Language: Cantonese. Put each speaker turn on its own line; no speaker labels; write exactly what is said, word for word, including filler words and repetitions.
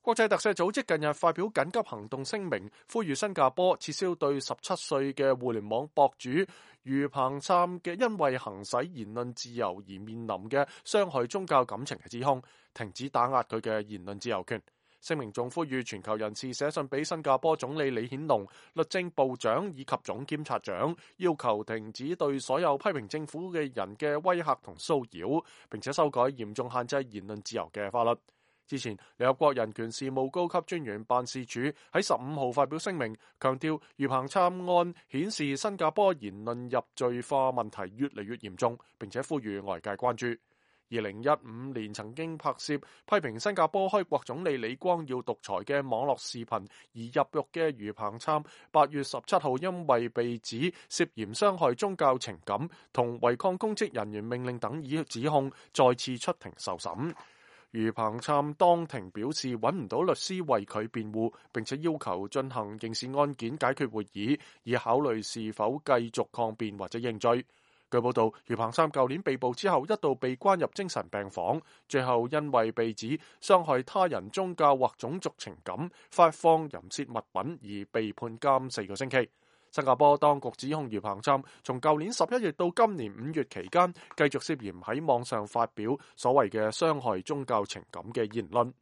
國際特赦組織近日發表緊急行動聲明，呼籲新加坡撤銷對十七歲嘅互聯網博主余彭琛嘅因為行使言論自由而面臨嘅傷害宗教感情嘅指控，停止打壓佢嘅言論自由權。聲明仲呼籲全球人士寫信俾新加坡總理李顯龍、律政部長以及總檢察長，要求停止對所有批評政府嘅人嘅威嚇同騷擾，並且修改嚴重限制言論自由嘅法律。之前，聯合國人權事務高級專員辦事處喺十五號發表聲明，強調余彭琛案顯示新加坡言論入罪化問題越嚟越嚴重，並且呼籲外界關注。二零一五年曾經拍攝批評新加坡開國總理李光耀獨裁嘅網絡視頻而入獄嘅余彭琛，八月十七號因為被指涉嫌傷害宗教情感同違抗公職人員命令等以指控，再次出庭受審。余彭琛當庭表示揾唔到律師為佢辯護，並且要求進行刑事案件解決會議，以考慮是否繼續抗辯或者認罪。據報道，余彭琛舊年被捕之後一度被關入精神病房，最後因為被指傷害他人宗教或種族情感、發放淫褻物品而被判監四個星期。新加坡當局指控余彭琛從舊年十一月到今年五月期間，繼續涉嫌喺網上發表所謂嘅傷害宗教情感嘅言論。